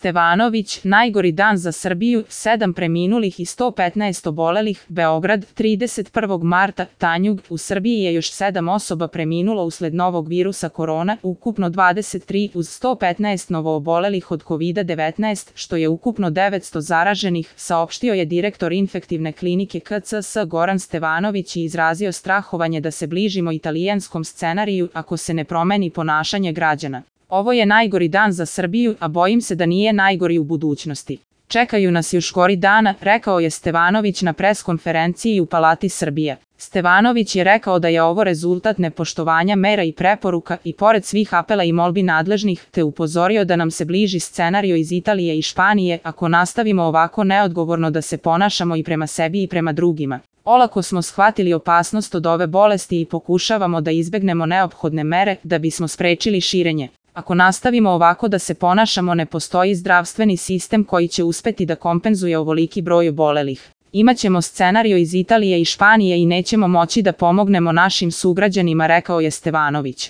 Stevanović, najgori dan za Srbiju, 7 preminulih i 115 obolelih, Beograd, 31. marta, Tanjug, u Srbiji je još 7 osoba preminulo usled novog virusa korona, ukupno 23 uz 115 novoobolelih od COVID-19, što je ukupno 900 zaraženih, saopštio je direktor infektivne klinike KCS Goran Stevanović i izrazio strahovanje da se bližimo italijanskom scenariju ako se ne promeni ponašanje građana. Ovo je najgori dan za Srbiju, a bojim se da nije najgori u budućnosti. Čekaju nas još gori dana, rekao je Stevanović na preskonferenciji u Palati Srbije. Stevanović je rekao da je ovo rezultat nepoštovanja mera i preporuka i pored svih apela i molbi nadležnih, te upozorio da nam se bliži scenario iz Italije i Španije ako nastavimo ovako neodgovorno da se ponašamo i prema sebi i prema drugima. Olako smo shvatili opasnost od ove bolesti i pokušavamo da izbegnemo neophodne mere da bismo sprečili širenje. Ako nastavimo ovako da se ponašamo, ne postoji zdravstveni sistem koji će uspeti da kompenzuje ovoliki broj obolelih. Imaćemo scenario iz Italije i Španije i nećemo moći da pomognemo našim sugrađanima, rekao je Stevanović.